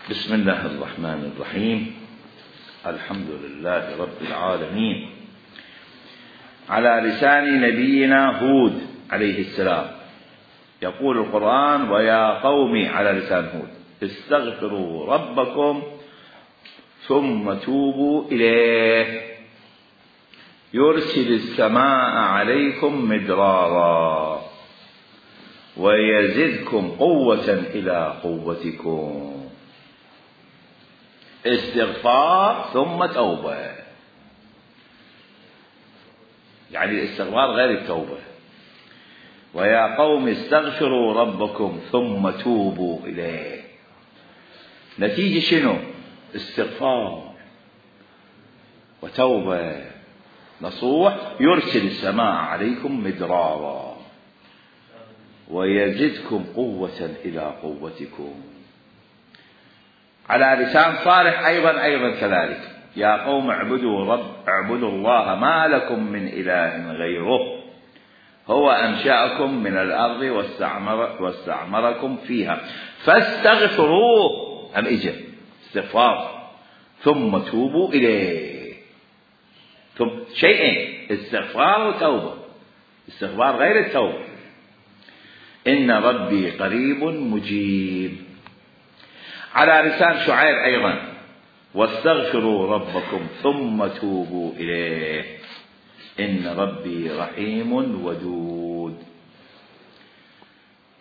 بسم الله الرحمن الرحيم. الحمد لله رب العالمين، على لسان نبينا هود عليه السلام. يقول القرآن: ويا قوم، على لسان هود، استغفروا ربكم ثم توبوا إليه يرسل السماء عليكم مدرارا ويزدكم قوة إلى قوتكم. استغفار ثم توبة، يعني الاستغفار غير التوبة. ويا قوم استغفروا ربكم ثم توبوا إليه. نتيجة شنو؟ استغفار وتوبة نصوح. يرسل السماء عليكم مدرارا ويزدكم قوة إلى قوتكم. على لسان صالح أيضا كذلك: يا قوم اعبدوا الله ما لكم من إله غيره هو أنشأكم من الأرض واستعمركم فيها فاستغفروه. أم إجا استغفار ثم توبوا إليه. ثم شيئين: استغفار وتوبة. استغفار غير التوبة. إن ربي قريب مجيب. على لسان شعيب أيضا: واستغفروا ربكم ثم توبوا إليه إن ربي رحيم ودود.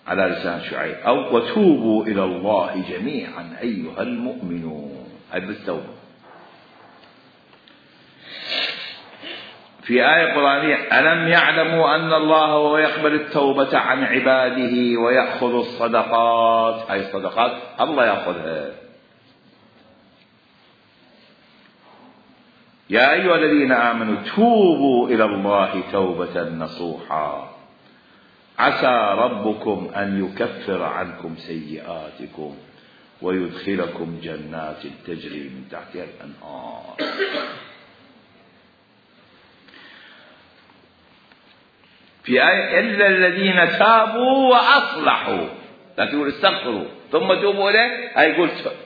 على لسان شعيب. أو وتوبوا إلى الله جميعا أيها المؤمنون. هذه بالتوبة. في آية قرآنية: ألم يعلموا أن الله هو يقبل التوبة عن عباده ويأخذ الصدقات. هاي الصدقات الله يأخذها. يا أيها الذين آمنوا توبوا إلى الله توبة نصوحا عسى ربكم أن يكفر عنكم سيئاتكم ويدخلكم جنات تجري من تحتها الأنهار. في آية: إلا الذين تابوا وأصلحوا. لا تقول استغفروا ثم توبوا إليه. هاي قلت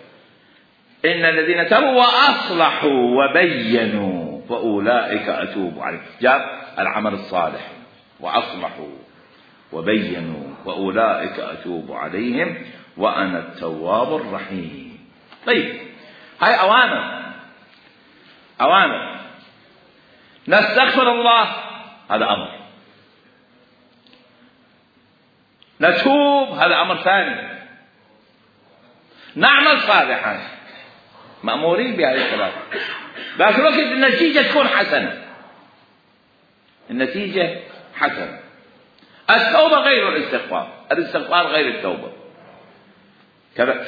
إن الذين تابوا وأصلحوا وبينوا فأولئك أتوب عليهم. جاب العمل الصالح: وأصلحوا وبينوا فأولئك أتوب عليهم وأنا التواب الرحيم. طيب، هاي أوامر. نستغفر الله، هذا أمر. نتوب، هذا أمر ثاني. نعمل صالحا، مأمورين بهذه الثلاثة. لكن وقت النتيجة تكون حسنة. النتيجة حسنة. التوبة غير الاستغفار. الاستغفار غير التوبة.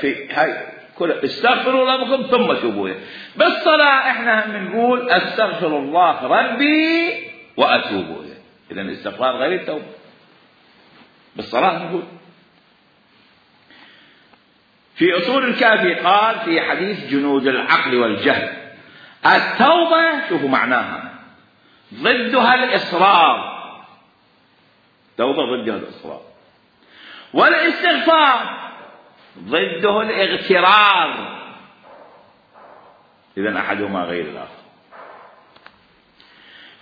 في هاي كل استغفروا ربكم ثم توبوا إليه. بالصلاة احنا بنقول استغفر الله ربي وأتوب إليه. إذن الاستغفار غير التوبة. بالصلاة نقول. في أصول الكافي قال في حديث جنود العقل والجهل: التوبة شوفوا معناها ضدها الإصرار. توبة ضدها الإصرار. والاستغفار ضده الاغترار. إذن أحدهما غير الآخر.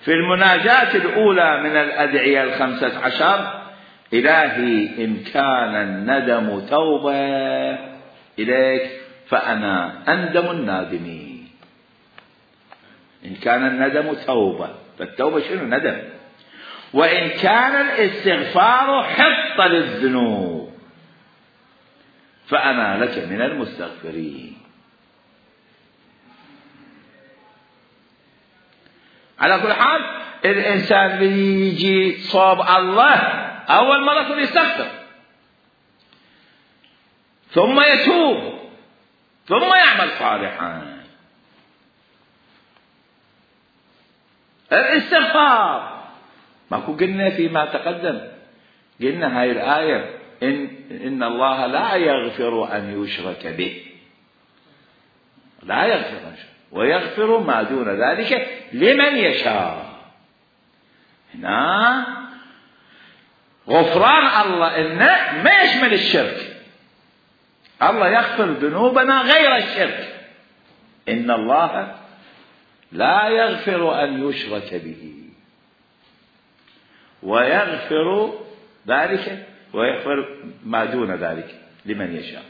في المناجاة الأولى من الأدعية 15: إلهي إن كان الندم توبة إليك فأنا أندم النادمين. إن كان الندم توبة، فالتوبة شنو؟ ندم. وإن كان الاستغفار حط للذنوب فأنا لك من المستغفرين. على كل حال الإنسان اللي يجي صوب الله أول مرة يستغفر ثم يتوب ثم يعمل صالحا. الاستغفار ماكو قلنا فيما تقدم، قلنا هاي الآية: إن الله لا يغفر أن يشرك به، لا يغفر ويغفر ما دون ذلك لمن يشاء. هنا غفران الله إنه ما يشمل الشرك، الله يغفر ذنوبنا غير الشرك. إن الله لا يغفر أن يشرك به ويغفر ذلك ويغفر ما دون ذلك لمن يشاء.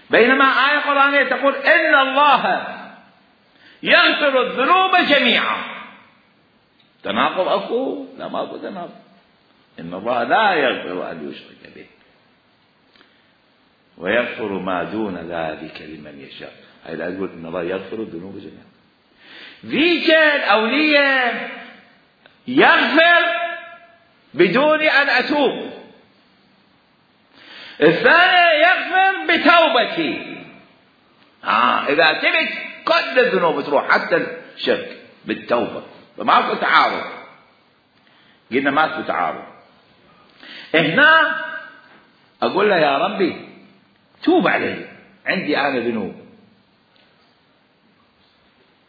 بينما آية قرآنية تقول إن الله يغفر الذنوب جميعا. تناقض أكو؟ لا، ما أكو تناقض. إن الله لا يغفر أن يشرك به ويغفر ما دون ذلك لمن يشاء. هاي لا تقول إن الله يغفر الذنوب جميعا. ذيك الأولية يغفر بدون أن أتوب، الثانية يغفر بتوبتي. إذا تبت كل الذنوب تروح حتى الشرك بالتوبة، فما في تعارض. قلنا ما في تعارض. هنا أقول له يا ربي توب علي، عندي أنا ذنوب،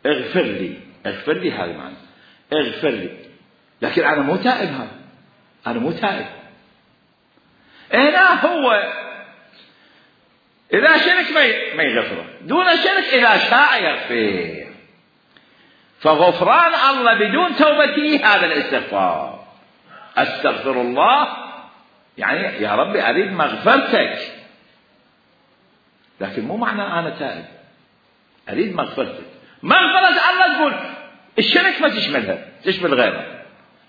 اغفر لي. اغفر لي هذا معنى اغفر لي، لكن أنا مو تائب. هذا أنا مو تائب. هنا هو إذا شرك ما يغفره، دون شرك إذا شاء يغفر. فغفران الله بدون توبتي هذا الاستغفار. أستغفر الله يعني يا ربي أريد مغفرتك، لكن مو معنى أنا تائب، أريد مغفرتك. مغفرة الله تقول الشرك ما تشملها، تشمل غيرها،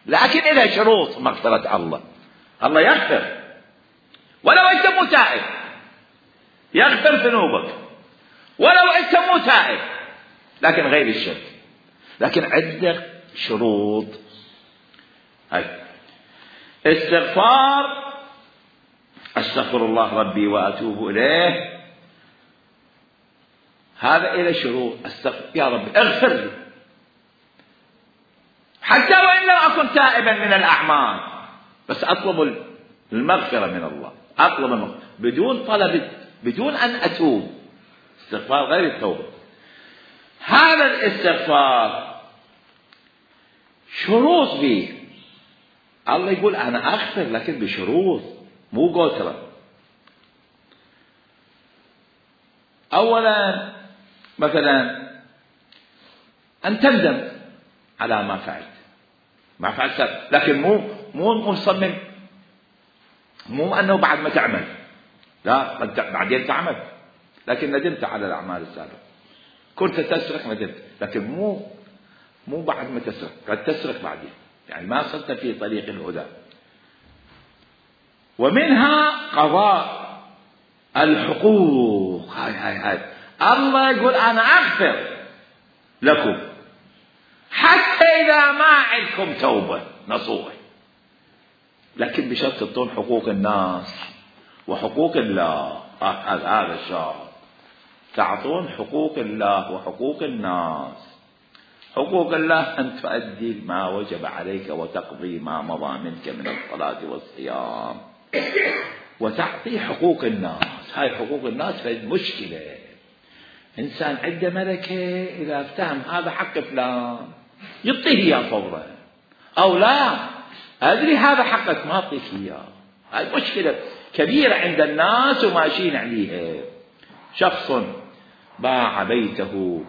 لكن إذا شروط مغفرة الله. الله يغفر ولو أنت مو تائب، يغفر ذنوبك ولو أنت مو تائب، لكن غير الشرك. لكن عندك شروط. هاي استغفار، أستغفر الله ربي وأتوب إليه، هذا إلى شروط. أستغفر يا ربي اغفر لي حتى وإن لم أكن تائبا من الأعمال، بس أطلب المغفرة من الله، أطلب المغفرة بدون طلب، بدون أن أتوب. استغفار غير التوبة. هذا الاستغفار شروط فيه. الله يقول أنا أغفر لكن بشروط، مو قوترة. أولا مثلا أن تندم على ما فعلت، ما فعلت، لكن مو مصمم، مو أنه بعد ما تعمل، لا بعدين تعمل، لكن ندمت على الأعمال السابقة. كنت تسرق ندمت، لكن مو بعد ما تسرق، قد تسرق بعدين، يعني ما صرت في طريق الهدى. ومنها قضاء الحقوق. هاي الله يقول أنا أغفر لكم حتى إذا ما عندكم توبة نصوح، لكن بشرط تعطون حقوق الناس وحقوق الله. هذا الشرط، تعطون حقوق الله وحقوق الناس. حقوق الله أن تؤدي ما وجب عليك وتقضي ما مضى منك من الصلاة والصيام، وتعطي حقوق الناس. هاي حقوق الناس في مشكلة. إنسان عنده ملكة، إذا افتهم هذا حق فلان يعطيه إياه فورا، أو لا أدري هذا حقك ما أعطيك إياه. هاي مشكلة كبيرة عند الناس وماشيين عليها. شخص باع بيته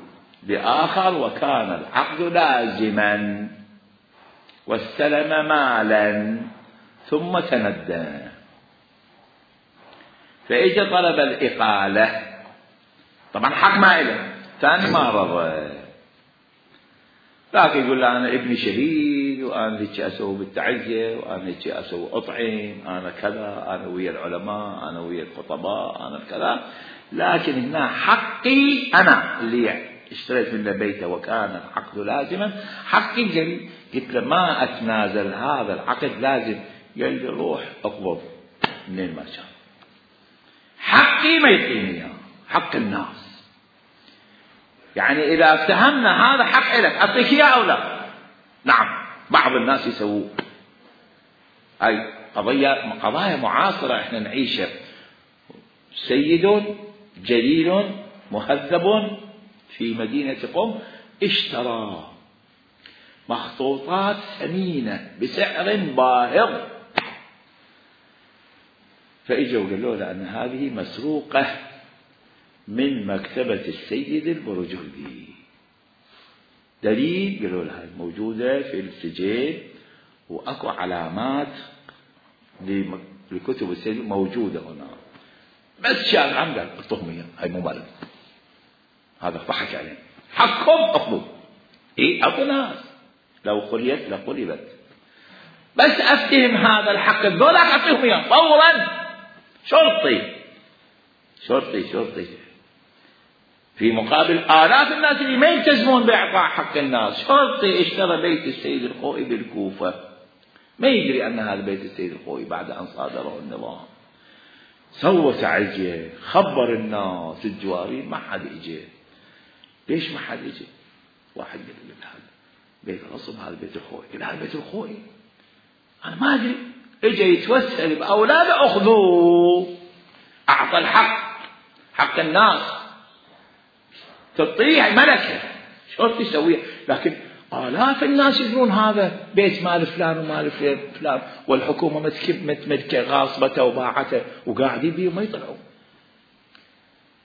لآخر وكان العقد لازما واستلم مالا ثم تندى، فإجا طلب الإقالة. طبعا حق ما إله، ثاني ما رضى، لكن يقول له أنا ابني شهيد، وأنا هيك أسوي بالتعزية، وأنا هيك أسوي أطعم، أنا كذا، أنا ويا العلماء، أنا ويا الخطباء، أنا كذا. لكن هنا حقي أنا اللي اشتريت منه بيته وكان العقد لازما، حقي جري. قلت له ما أتنازل، هذا العقد لازم. قال لي روح اقبض منين ما شاء، حقي ما يعطيني إياه، حق الناس. يعني إذا افتهمنا هذا حق لك أعطيك إياه أو لا؟ نعم، بعض الناس يسوون. أي قضايا معاصرة إحنا نعيشها. سيد جليل مهذب في مدينة قم اشترى مخطوطات ثمينة بسعر باهظ، فإجوا وقالوا له أن هذه مسروقة من مكتبة السيد البرجردي. دليل قالوا لها موجودة في السجل وأكو علامات لكتب السجل موجودة هنا. بس شاب عم قال اعطوهم اياه، هاي مو مالك. هذا ضحك عليه. حقهم اخذوا. اكو ناس لو قريت لقلبت. بس افتهم هذا الحق الذولاك اعطيهم اياه فورا. شرطي في مقابل آلاف الناس اللي ما يلتزمون بإعطاء حق الناس. شرطي اشترى بيت السيد الخوئي بالكوفة، ما يدري أن هذا بيت السيد الخوئي بعد أن صادره النظام. سوى تعجية، خبر الناس الجوارين، ما حد اجى. ليش ما حد اجى؟ واحد قال له هذا بيت غصب، هذا بيت الخوئي. قال هذا بيت الخوئي أنا ما أدري. اجى يتوسل بأولاده أخذوه، أعطى حق الناس. تطيع ملكة شو تسوي؟ لكن آلاف الناس يقولون هذا بيت مال فلان ومال فلان، والحكومة متملكة غاصبته وباعته وقاعدين بيه وما يطلعون.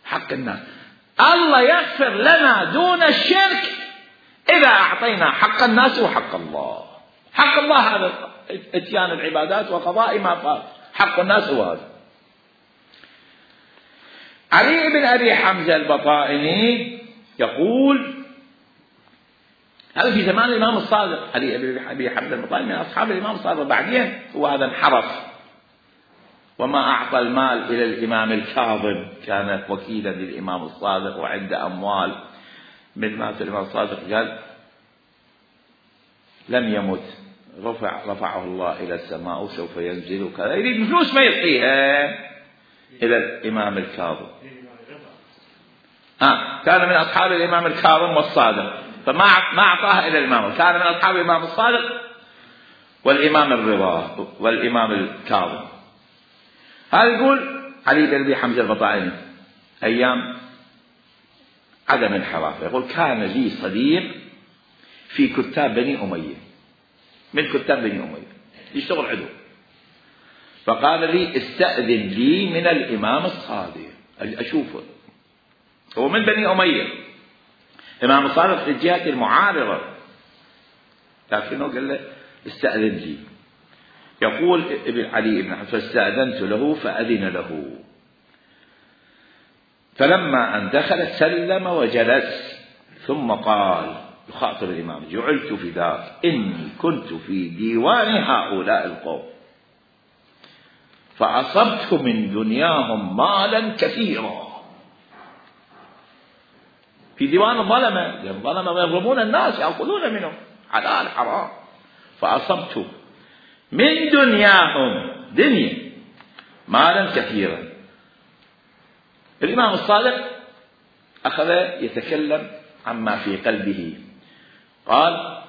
حق الناس الله يغفر لنا دون الشرك إذا أعطينا حق الناس وحق الله. حق الله هذا اتيان العبادات وقضاء ما فات، حق الناس هو هذا. علي بن أبي حمزة البطائني يقول، هذا في زمان الإمام الصادق. علي بن أبي حمزة البطائني من أصحاب الإمام الصادق، بعدين هو هذا انحرف وما أعطى المال إلى الإمام الكاظم، كان وكيلا للإمام الصادق وعنده أموال. من مات الإمام الصادق قال لم يمت، رفعه الله إلى السماء وسوف ينزل وكذا، يريد فلوس ما يعطيها إلى الإمام الكاظم. كان من أصحاب الإمام الكاظم والصادق، فما أعطاها إلى الإمام. كان من أصحاب الإمام الصادق والإمام الرضا والإمام الكاظم. هذا يقول علي بن أبي حمزة البطائني أيام عدم انحراف، يقول كان لي صديق في كتاب بني أمية، من كتاب بني أمية يشتغل عدو، فقال لي استأذن لي من الإمام الصادق أشوفه. هو من بني أمية، الإمام الصادق في الجهة المعارضة، لكنه قال له استأذن لي. يقول ابن علي بن حمزة فاستأذنت له فأذن له، فلما أن دخل سلم وجلس، ثم قال يخاطب الإمام جعلت فداك إني كنت في ديوان هؤلاء القوم فأصبت من دنياهم مالا كثيرا. في ديوان الظلمة، الظلمة يظلمون الناس يأخذون منهم حلال حرام. فأصبت من دنياهم دنيا مالا كثيرا. الإمام الصادق أخذ يتكلم عما في قلبه، قال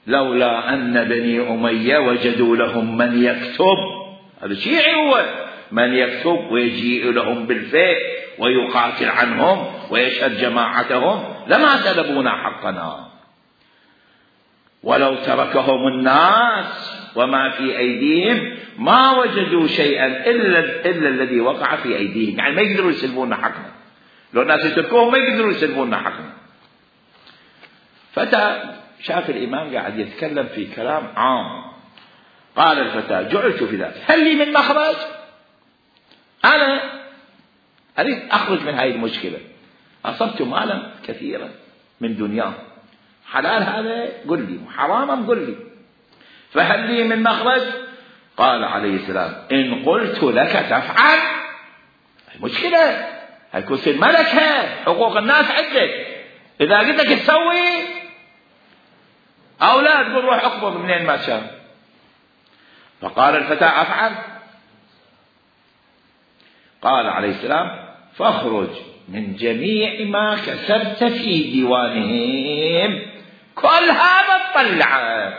لولا أن بني أمية وجدوا لهم من يكتب، هذا شيعي هو، من يكتب ويجيء لهم بالفيء ويقاتل عنهم ويشهد جماعتهم لما سلبونا حقنا، ولو تركهم الناس وما في أيديهم ما وجدوا شيئا إلا الذي وقع في أيديهم. يعني ما يقدروا يسلبون حقنا، لو الناس يتركوهم ما يقدروا يسلبون حقنا. فتى شاف الإمام قاعد يتكلم في كلام عام، قال الفتى جعلت في ذلك هل لي من مخرج؟ أنا أريد أخرج من هذه المشكلة، أصبت مالا كثيرا من دنياه، حلال هذا قل لي وحرام قل لي، فهل لي من مخرج؟ قال عليه السلام إن قلت لك تفعل، مشكلة هيكون في الملكة، حقوق الناس عندك، إذا قلت لك تسوي أو لا تقول روح أقبض منين ما شاء. فقال الفتى أفعل. قال عليه السلام فاخرج من جميع ما كسبت في ديوانهم كلها بتطلعه،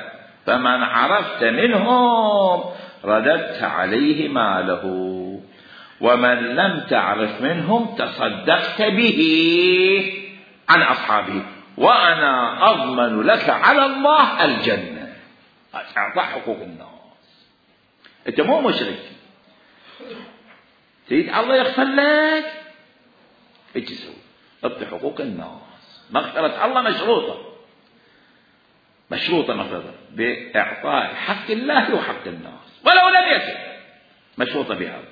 فمن عرفت منهم رددت عليه ماله، ومن لم تعرف منهم تصدقت به عن أصحابه، وأنا أضمن لك على الله الجنة. أعطى حقوق الناس، أنت مو مشرك، تريد الله يغفر لك، ايش تسوي؟ اعطي حقوق الناس. مغفرة الله مشروطة مغفرة بإعطاء حق الله وحق الناس ولو لم يكن، مشروطة بهذا.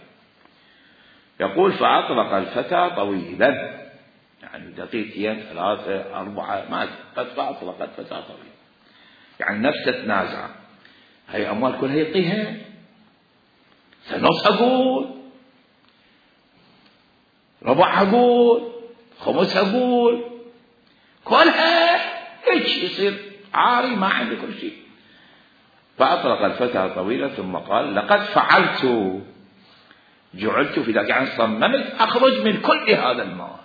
يقول فأطلق الفتى طويلا، يعني دقيقتين 3 4 ما قد فأطلق الفتى طويلا، يعني نفسه تنازع. هاي أموال كلها يعطيها، نص أقول، ربع أقول، خمس أقول، كلها إيش يصير عاري ما عنده كل شيء. فأطلق الفتى طويلا ثم قال لقد فعلت، جعلت في ذلك، يعني صممت أخرج من كل هذا المال،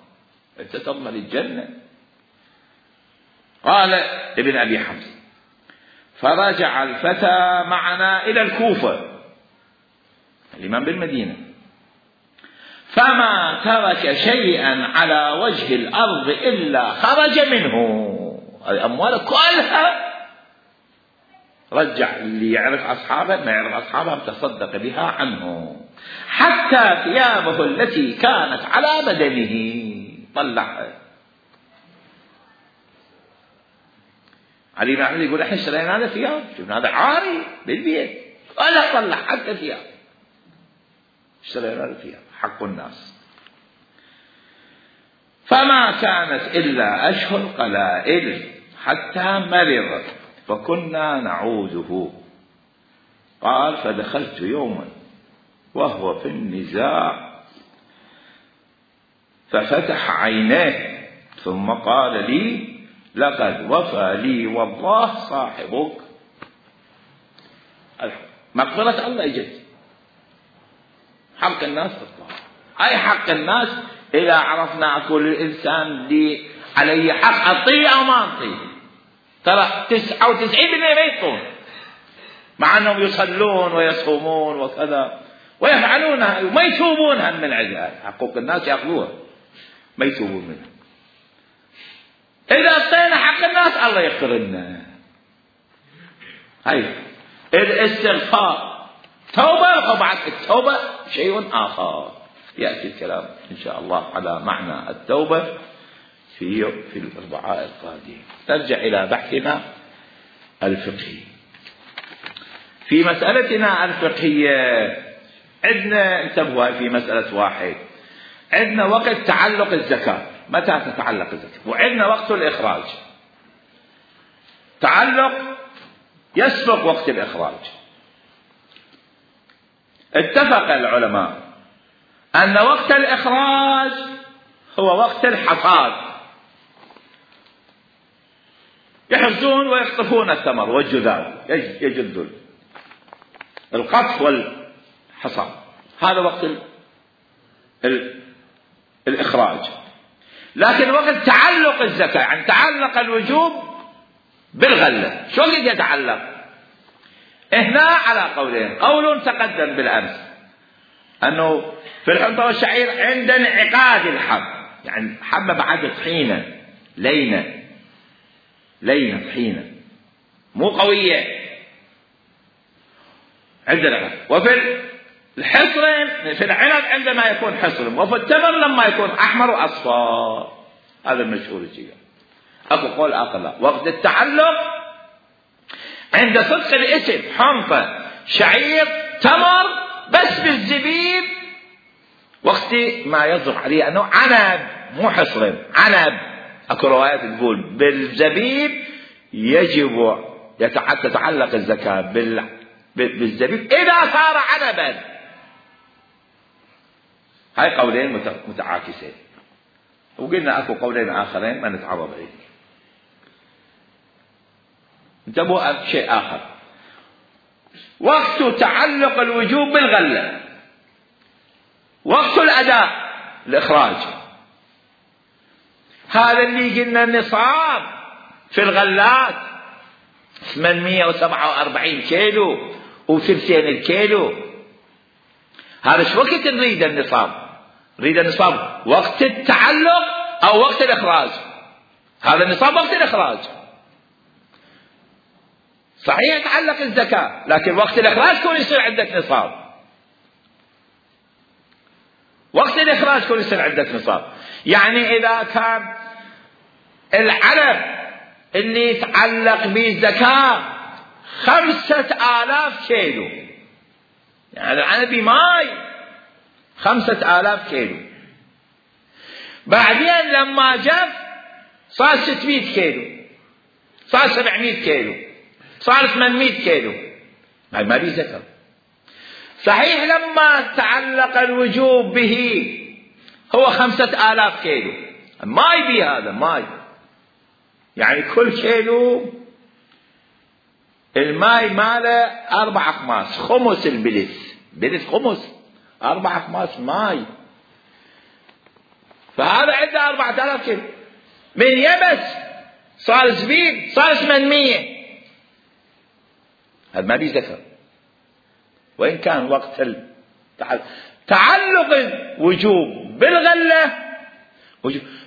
أنت تضمن الجنة. قال ابن أبي حمزة فرجع الفتى معنا إلى الكوفة، الإمام بالمدينة، فما ترك شيئا على وجه الأرض إلا خرج منه. الأموال كلها رجع، اللي يعرف أصحابه ما يعرف أصحابه تصدق بها عنه، حتى ثيابه التي كانت على بدنه طلعها. علي بن عمرو يقول احنا اشترينا هذا ثياب، شفنا هذا عاري بالبيت، ولا طلع حتى ثياب، اشترينا هذا ثياب حق الناس. فما كانت إلا أشهر قلائل حتى مرض فكنا نعوده. قال فدخلت يوما وهو في النزاع ففتح عينيه ثم قال لي لقد وفى لي والله صاحبك. مغفرة الله اجت، حق الناس تطلع. اي حق الناس اذا عرفنا كل الانسان لي عليه حق اعطيه او ما اعطيه. ترى 99% ما يعطون، مع انهم يصلون ويصومون وكذا ويفعلونها وما يتوبون هم من عندها. حقوق الناس ياخذوها ما يتوبون منها. اذا اعطينا حق الناس الله يغفر لنا. هاي الاستغفار توبه، وبعد التوبه شيء اخر ياتي الكلام ان شاء الله على معنى التوبه في الاربعاء القادم. نرجع الى بحثنا الفقهي. في مسألتنا الفقهية عندنا، انتبهوا في مسألة واحد، عندنا وقت تعلق الزكاة، متى تتعلق الزكاة، وعندنا وقت الإخراج. تعلق يسبق وقت الإخراج. اتفق العلماء أن وقت الإخراج هو وقت الحصاد، يحصدون ويقطفون الثمر والجذاذ، يجدون القطف والحصاد، هذا وقت الإخراج. لكن وقت تعلق الزكاة، يعني تعلق الوجوب بالغلة، شو قد يتعلق؟ هنا على قولين. قول تقدم بالأمس أنه في الحنطة والشعير عند انعقاد الحب، يعني حبة بعد طحينة لينة طحينة مو قوية عندنا. وفي الحصر في العنب عندما يكون حصر، وفي التمر لما يكون أحمر وأصفر. هذا المشهور الجيد. أكو قول آخر لا، وقت التعلق عند صدق الاسم، حنطة شعير تمر، بس بالزبيب وقت ما يصدق عليه أنه عنب مو حصر، عنب. أكو روايات تقول بالزبيب يجب تتعلق الزكاة بالزبيب إذا صار عنبا. هاي قولين متعاكسين، وقلنا أكو قولين آخرين ما نتعرض عليه. انتبهوا شيء آخر، وقت تعلق الوجوب بالغلة، وقت الأداء الإخراج، هذا اللي قلنا النصاب في الغلات 847 كيلو وثلثين الكيلو. هذا شو وقت نريد النصاب؟ نريد النصاب وقت التعلق أو وقت الإخراج؟ هذا النصاب وقت الإخراج. صحيح يتعلق الزكاة، لكن وقت الإخراج كون يصير عندك نصاب. وقت الإخراج كل سنة عندك نصاب. يعني إذا كان العلف اللي يتعلق به الزكاة 5000 كيلو، يعني العنب ماي 5000 كيلو، بعدين لما جف صار 600 كيلو، صار 700 كيلو، صار 800 كيلو، هاي ما بيه زكاة. صحيح لما تعلق الوجوب به هو 5000 كيلو، ماي بيه هذا ماي، يعني كل كيلو الماي ماله 4 أخماس، خمس بلث خمس 4 أخماس ماي، فهذا عنده 4000 كيلو. من يبس صار زبيب صار 800، هذا ما بيه زكاة. وإن كان وقت تعلق الوجوب بالغلة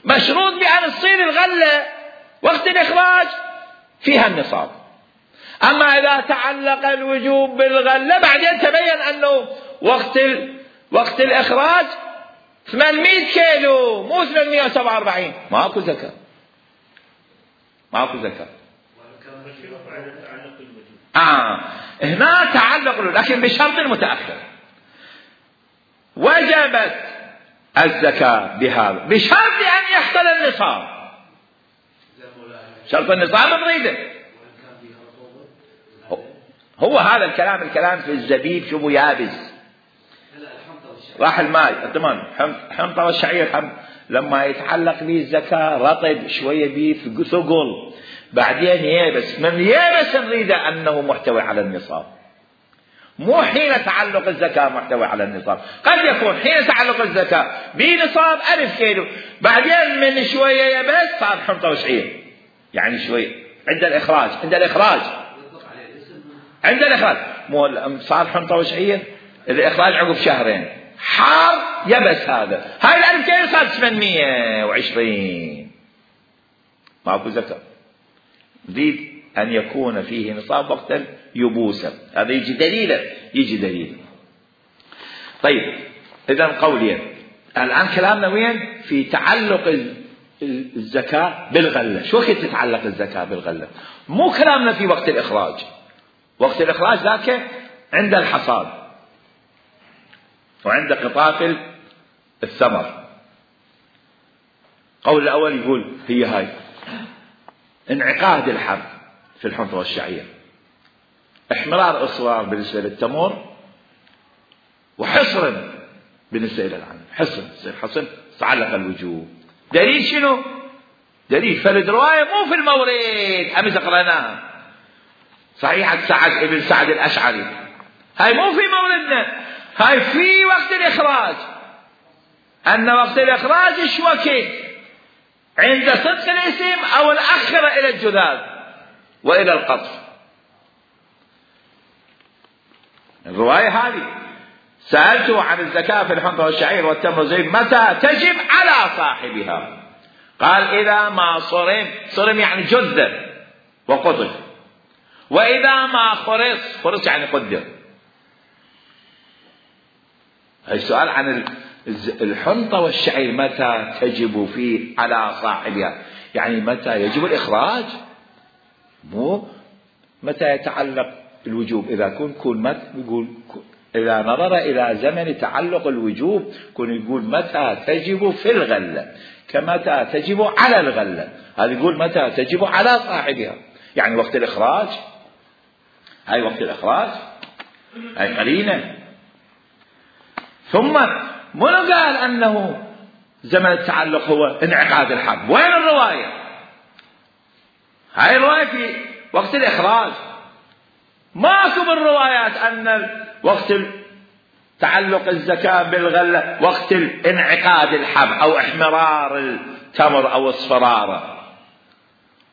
مشروط بأن تصير الغلة وقت الإخراج فيها النصاب. أما إذا تعلق الوجوب بالغلة بعدين تبين أنه وقت الإخراج 800 كيلو مو 847، ماكو زكاة، ماكو زكاة. هنا تعلق، لكن بشرط متأخر. وجبت الزكاة بهذا بشرط أن يحصل النصاب، شرط النصاب نريده. هو هذا الكلام في الزبيب شوفوا يابس، راح الماء تمام. حنطة والشعير لما يتعلق به الزكاة رطب شوية به في ثقل، بعدين يابس، من يابس نريده أنه محتوي على النصاب، مو حين تعلق الزكاة محتوي على النصاب. قد يكون حين تعلق الزكاة بنصاب 1000 كيلو، بعدين من شوية يبس صار حنطة وشعير، يعني شوية عند الإخراج مو صار حنطة وشعير، الإخراج عقب شهرين حار يبس، هذا هاي 1000 كيلو صار 820، ماكو زكاة. نريد أن يكون فيه نصاب وقتا يبوسا، هذا يجي دليل. طيب إذن قولين الآن كلامنا وين؟ في تعلق الزكاة بالغلة. شو وقت تتعلق الزكاة بالغلة؟ مو كلامنا في وقت الإخراج. وقت الإخراج ذاك عند الحصاد وعند قطاف الثمر. قول الأول يقول هي هاي انعقاد الحب في الحنطة والشعير، احمرار اصفار بالنسبة للتمر، وحصر بالنسبة إلى العنب. حصن تعلق الوجوب. دليل شنو؟ دليل فرد رواية مو في المورد أمس قرأناها صحيحة سعد ابن سعد الأشعري، هاي مو في موردنا، هاي في وقت الإخراج. أن وقت الإخراج إيش وقت؟ عند صدق الاسم أو الأخرة إلى الجذاذ وإلى القطف. الرواية هذه سألته عن الزكاة في الحنطة والشعير والتمر والزبيب متى تجب على صاحبها؟ قال إذا ما صرم يعني جذ وقطف، وإذا ما خرص يعني قدر. السؤال عن الحنطة والشعير متى تجب فيه على صاحبها، يعني متى يجب الإخراج، مو متى يتعلق الوجوب. إذا كون يقول إذا نظر إلى زمن تعلق الوجوب كون يقول متى تجب في الغلة كمتى تجب على الغلة، هذا يقول متى تجب على صاحبها، يعني وقت الإخراج. هاي وقت الإخراج، هاي قرينة. ثم منو قال أنه زمن التعلق هو انعقاد الحب؟ وين الرواية؟ هاي الرواية في وقت الإخراج، ماكو بالروايات أن وقت تعلق الزكاة بالغلة وقت انعقاد الحب أو احمرار التمر أو اصفراره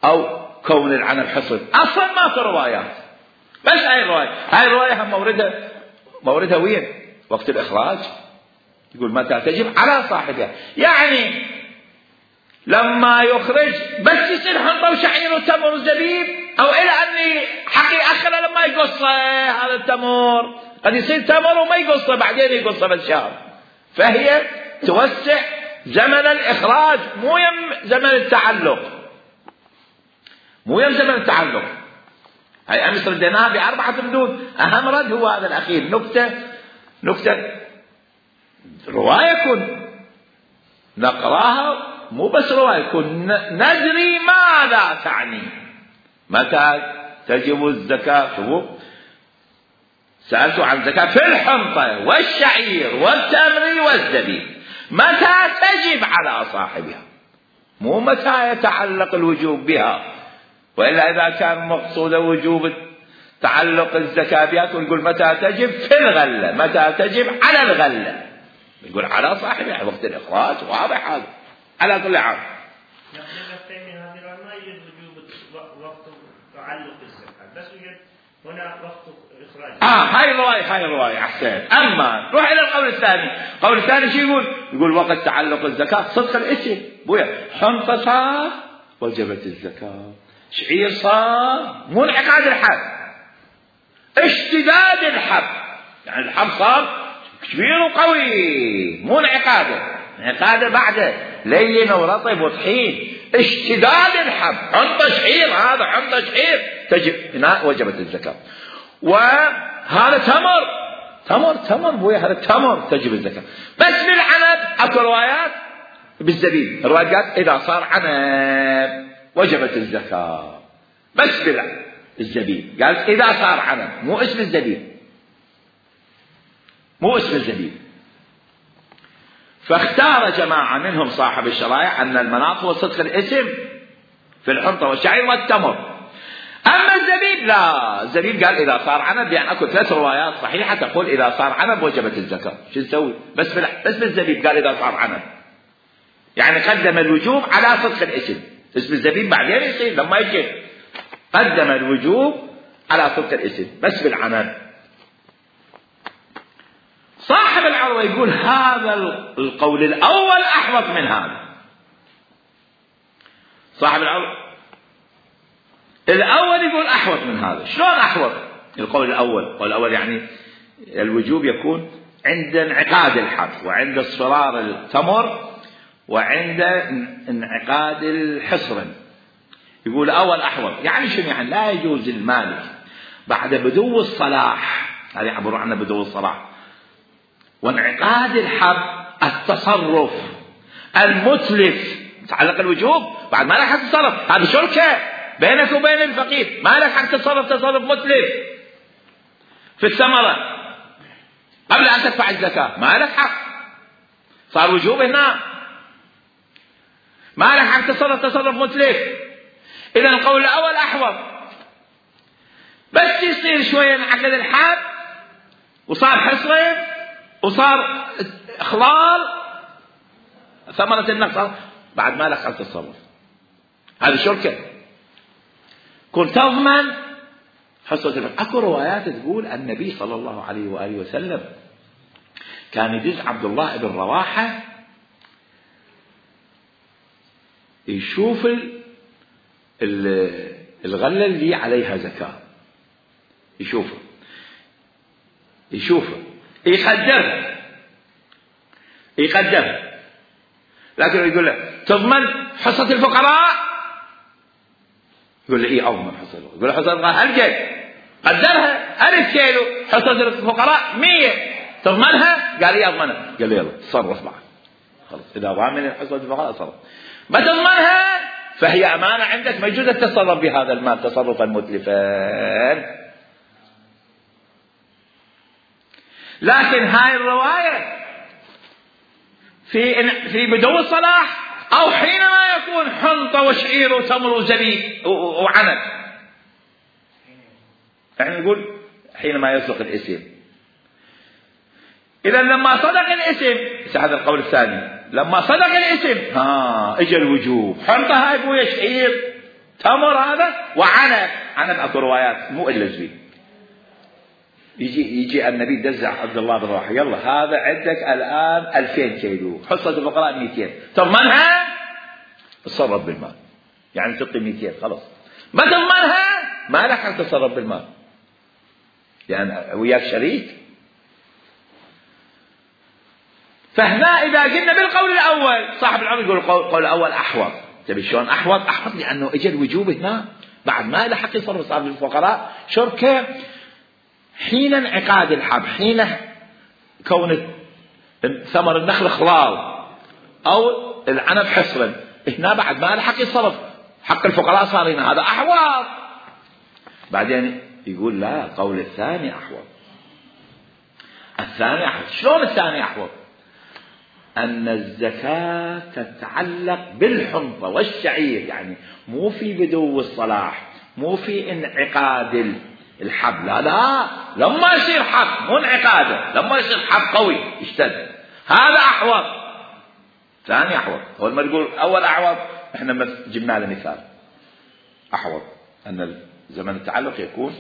أو كون العنب حصد، أصلا ماكو روايات. بس هاي الرواية هم موردها وين؟ وقت الإخراج. يقول متى تجب على صاحبها، يعني لما يخرج بس يصير حنطة وشعير وتمر وزبيب، أو إلى أني حقي أخره لما يقص هذا التمر، قد يصير تمر وما يقصه بعدين يقصه بالشهر، فهي توسع زمن الإخراج مو يم زمن التعلق، مو يم زمن التعلق. هاي أمس رديناها ب4 ردود، أهم رد هو هذا الأخير. نكتة رواية كن نقراها، مو بس رواية كن ندري ماذا تعني. متى تجب الزكاة؟ سألت عن الزكاة في الحنطة والشعير والتمر والزبيب، متى تجب على صاحبها، مو متى يتعلق الوجوب بها. وإلا إذا كان مقصود وجوب تعلق الزكاة بها تقول متى تجب في الغلة، متى تجب على الغلة، يقول على صاحبها وقت الإخراج. واضح هذا على كل حال. وقت تعلق الزكاة بس هنا وقت إخراج. هاي الرواية أحسن. أما روح إلى القول الثاني. القول الثاني شو يقول؟ يقول وقت تعلق الزكاة صدق الاسم. بويا حنطة صار وجبت الزكاة، شعير صار مو انعقاد الحب، اشتداد الحب، يعني الحب صار كبير وقوي، مو انعقاده بعده لين ورطب وطحين، اشتداد الحب. حنطة شعير، هذا حنطة شعير تجب هنا وجبت الزكاة. وهذا تمر بويا، هذا تمر تجب الزكاة. بس بالعنب اكو روايات بالزبيب، الروايات قالت اذا صار عنب وجبت الزكاة، بس بالزبيب قالت اذا صار عنب، مو اسم الزبيب. فاختار جماعة منهم صاحب الشرائع ان المناط هو صدق الاسم في الحنطة والشعير والتمر. أما الزبيب لا، الزبيب قال إذا صار عنب، يعني أكو 3 روايات صحيحة تقول إذا صار عنب وجبت الزكاة. شو نسوي؟ بس بالزبيب قال إذا صار عنب، يعني قدم الوجوب على صدق الاسم. اسم الزبيب بعدين يصير لما يجي، قدم الوجوب على صدق الاسم بس بالعنب. صاحب العروة يقول هذا القول الأول أحوط من هذا. صاحب العروة الأول يقول أحوط من هذا. شلون أحوط؟ القول الأول يعني الوجوب يكون عند انعقاد الحب، وعند اصفرار التمر، وعند انعقاد الحصر. يقول أول أحوط، يعني شنو؟ يعني لا يجوز المالك بعد بدو الصلاح، هذا يعبر عنه بدو الصلاح وانعقاد الحب التصرف المتلف تعلق الوجوب، بعد ما لك حق تتصرف. هذه شركة بينك وبين الفقير، ما لك حق تتصرف تصرف متلف في الثمرة قبل أن تدفع الزكاة، ما لك حق، صار وجوب هنا، ما لك حق تتصرف تصرف متلف. إذا القول الأول أحوط، بس يصير شوية انعقد الحب وصار حصرين وصار إخلال ثمرة النقص، بعد ما لك حق تتصرف. هذه شركة، كنت تضمن حصة الفقر. اكو روايات تقول النبي صلى الله عليه وآله وسلم كان يدز عبد الله بن رواحة يشوف الغلة اللي عليها زكاة، يشوفها يقدرها، لكن يقول له تضمن حصة الفقراء؟ يقول له ايه اضمن حصة الفقراء. يقول له حصة الفقراء هل قدرها 1000 كيلو، حصة الفقراء 100، تضمنها؟ قال ايه اضمنها. قال له يلا تصرف معك، خلاص اذا ضامن حصة الفقراء تصرف. ما تضمنها فهي امانة عندك، ما يجوز التصرف بهذا المال تصرفا متلفا. لكن هاي الرواية في بدو الصلاح أو حينما يكون حنطة وشعير وتمر وزبيب وعنب، يعني نقول حينما يصدق الاسم. إذا لما صدق الاسم، هذا القول الثاني، لما صدق الاسم اجى الوجوب. حنطة هاي بويا شعير تمر هذا وعنب، اكو روايات مو الا زبيب. يجي النبي دزع عبد الله بن رواحة، يلا هذا عندك الآن 2000 كيلو، حصة الفقراء 200، تضمنها؟ تصرف بالمال، يعني تعطي 200 خلاص. ما تضمنها ما لك أن تتصرف بالمال، يعني وياك شريك. فهنا إذا قلنا بالقول الأول صاحب العمر يقول القول الأول أحوط. تبي شلون أحوط؟ أحوط لأنه إجا الوجوب هنا بعد ما له حق يصرف صاحب الفقراء شركة حين انعقاد الحب، حين كون ثمر النخل خلال أو العنب حصرا، هنا بعد ما له حق يصرف حق الفقراء صار هنا هذا أحوط. بعدين يقول لا، قول الثاني أحوط. الثاني أحوط. شلون الثاني أحوط؟ أن الزكاة تتعلق بالحنطة والشعير، يعني مو في بدو الصلاح، مو في انعقاد الحب، لا لما يصير حب، مو انعقاده، لما يصير حب قوي يشتد، هذا أحوط. ثاني أحوط. هو لما تقول أول أحوط احنا جبنا له مثال أحوط، أن زمن التعلق يكون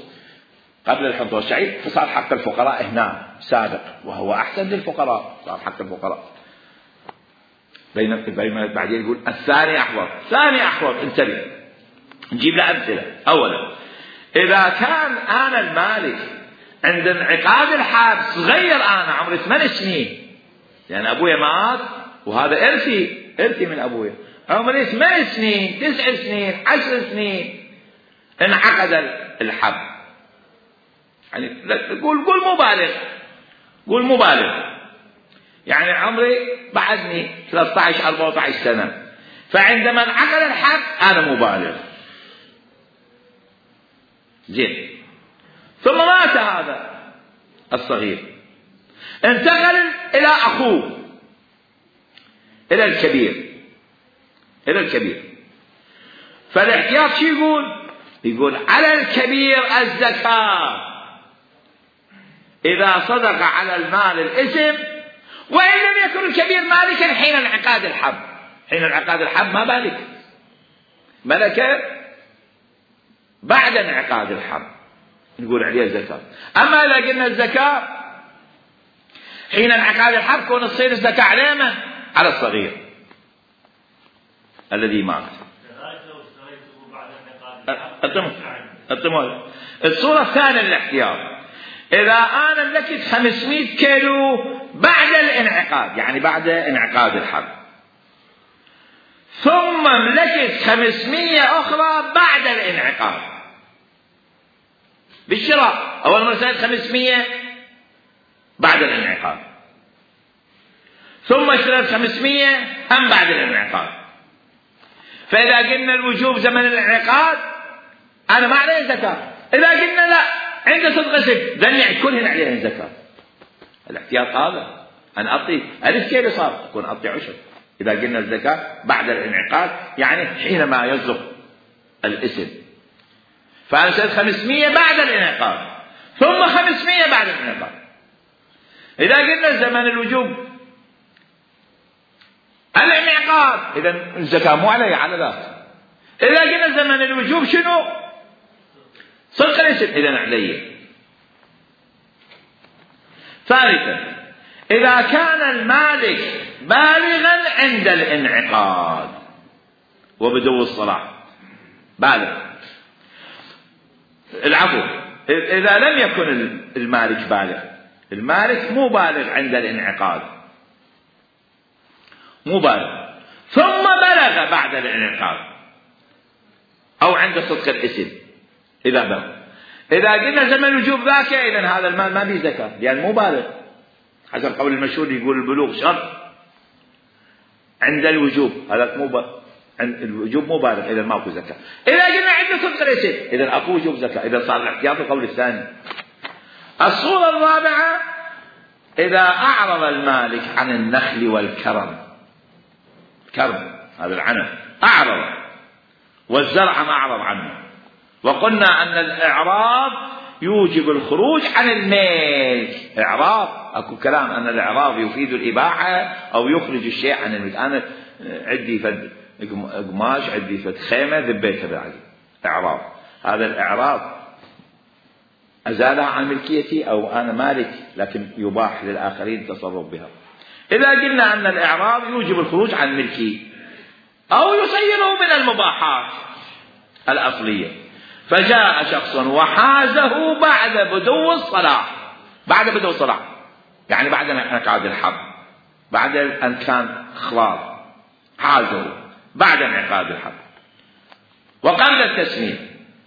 قبل الحنطة والشعير، فصار حق الفقراء هنا سابق وهو أحسن للفقراء، صار حق الفقراء. بين بعدين يقول الثاني أحوط. ثاني أحوط انتبه، نجيب له أمثلة. أولا إذا كان أنا المالك عند انعقاد الحب صغير، أنا عمري 8 سنين، يعني أبويا مات وهذا إرثي من أبويا، عمري 8 سنين 9 سنين 10 سنين انعقد الحب، يعني قول مبالغ، يعني عمري بعدني 13-14 سنة، فعندما انعقد الحب أنا مبالغ. زين. ثم مات هذا الصغير، انتقل إلى أخوه، إلى الكبير. فالاحتياط شو يقول على الكبير الزكاة إذا صدق على المال الاسم، وإن لم يكن الكبير مالكا حين انعقاد الحب. حين انعقاد الحب ما بالك، ملكه بعد انعقاد الحب نقول عليه الزكاة. أما إذا قلنا الزكاة حين انعقاد الحب، كون تصير الزكاة على من؟ على الصغير الذي مات. الصورة الثانية للاحتياط، إذا أنا ملكت 500 كيلو بعد الانعقاد، يعني بعد انعقاد الحب، ثم ملكت 500 أخرى بعد الانعقاد بالشراء. أول مرة اشتريت 500 بعد الانعقاد، ثم اشتريت 500 هم بعد الانعقاد. فإذا قلنا الوجوب زمن الانعقاد أنا ما عليه زكاة. إذا قلنا لا، عند صدق اسم ذني كلهن عليهن زكاة. الاحتياط هذا أنا أعطي 1000 كيلو صار أكون أعطي 10. إذا قلنا الزكاة بعد الانعقاد يعني حينما يصدق الاسم، فأنا اشتريت 500 بعد الانعقاد ثم 500 بعد الانعقاد. إذا قلنا زمن الوجوب الانعقاد، إذا الزكاة مو علي على ذاك. إذا قلنا زمن الوجوب شنو؟ صدق الاسم، إذا علي. ثالثا، إذا كان المالك بالغا عند الانعقاد وبدو الصلاح، بالغ، العفو، إذا لم يكن المالك بالغ، المالك مو بالغ عند الانعقاد، مو بالغ، ثم بلغ بعد الانعقاد أو عند صدق الاسم إذا بلغ. إذا قلنا زمن الوجوب ذاك، إذن هذا المال ما به زكاة لأن مو بالغ، حسب قول المشهور يقول البلوغ شرط عند الوجوب، هذا عند الوجوب مو بالغ، إذا ماكو زكاة. إذا قلنا عند صدق الاسم إذا أكو وجوب زكاة، إذا صار الاحتياط القول الثاني. الصورة الرابعة، إذا أعرض المالك عن النخل والكرم، كرم هذا العنب أعرض، والزرع ما أعرض عنه، وقلنا أن الإعراض يوجب الخروج عن الملك. إعراض أكو كلام أن الإعراض يفيد الإباحة أو يخرج الشيء عن الملك. أنا عندي فد قماش، عندي فد خيمة، ذبيتها بعدي، إعراض. هذا الإعراض أزالها عن ملكيتي أو أنا مالك، لكن يباح للآخرين التصرف بها. إذا قلنا أن الإعراض يوجب الخروج عن ملكي أو يصيره من المباحات الأصلية، فجاء شخص وحازه بعد بدو الصلاح، بعد بدو الصلاح يعني بعد انعقاد الحب، بعد أن كان خلاص حازوا بعد انعقاد الحب وقبل التسليم،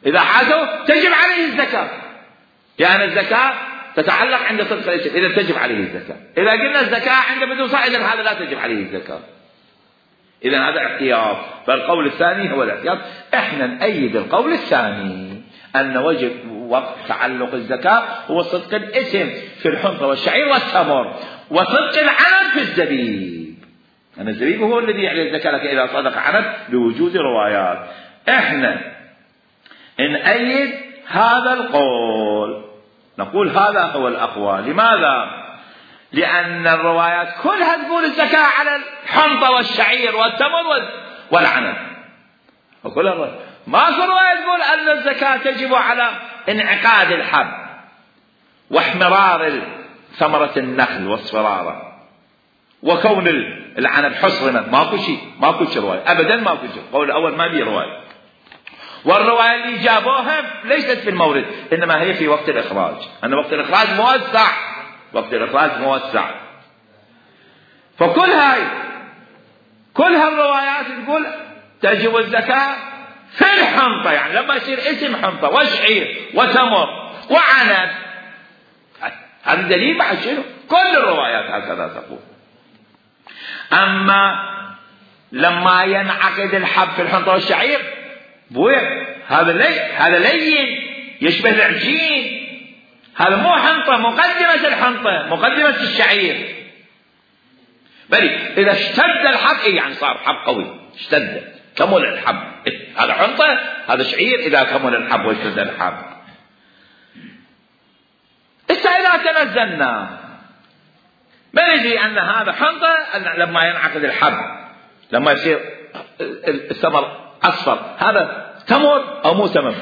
إذا حازوا تجب عليه الزكاة، لأن الزكاة تتعلق عند صدق الاسم، إذا تجب عليه الزكاة. إذا قلنا الزكاة عند بدون صاع إذا هذا لا تجب عليه الزكاة، إذا هذا احتياط. فالقول الثاني هو الاحتياط. احنا نأيد القول الثاني أن وجب وقت تعلق الزكاة هو صدق الاسم في الحنطة والشعير والتمر، وصدق العنب في الزبيب. أن الزبيب هو الذي يعلي الزكاة، لكن إذا صدق عنب لوجود روايات. احنا نأيد هذا القول، نقول هذا هو الأقوى. لماذا؟ لأن الروايات كلها تقول الزكاة على الحنطة والشعير والتمر والعنب، وكلها الروايات. ماكو رواية تقول أن الزكاة تجب على انعقاد الحب واحمرار ثمرة النخل واصفراره وكون العنب حصرما. ماكو شيء رواية أبدا، ماكو شيء. القول الأول ما بيه رواية، والرواية اللي جابوها ليست في المورد، إنما هي في وقت الإخراج، أن وقت الإخراج موسع، وقت الإخراج موسع. كل هالروايات تقول تجب الزكاة في الحنطة، يعني لما يصير اسم حنطة وشعير وتمر وعنب. هذا دليل بعد شنو؟ كل الروايات هكذا تقول. أما لما ينعقد الحب في الحنطة والشعير هذا لين يشبه العجين، هذا مو حنطة، مقدمة الحنطة مقدمة الشعير. بل إذا اشتد الحب يعني صار حب قوي، اشتد كمل الحب، هذا حنطة هذا شعير إذا كمل الحب واشتد الحب. إذا تنزلنا ما ندري أن هذا حنطة، أن لما ينعقد الحب لما يصير الثمر أصفر هذا تمر أو مو تمر.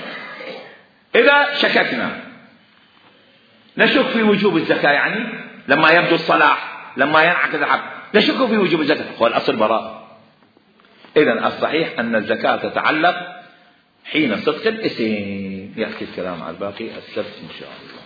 إذا شككنا نشك في وجوب الزكاة، يعني لما يبدو الصلاح لما ينعقد الحب نشك في وجوب الزكاة، هو الأصل براء. إذن الصحيح أن الزكاة تتعلق حين صدق الاسم. يأتي الكلام على الباقي السبت إن شاء الله.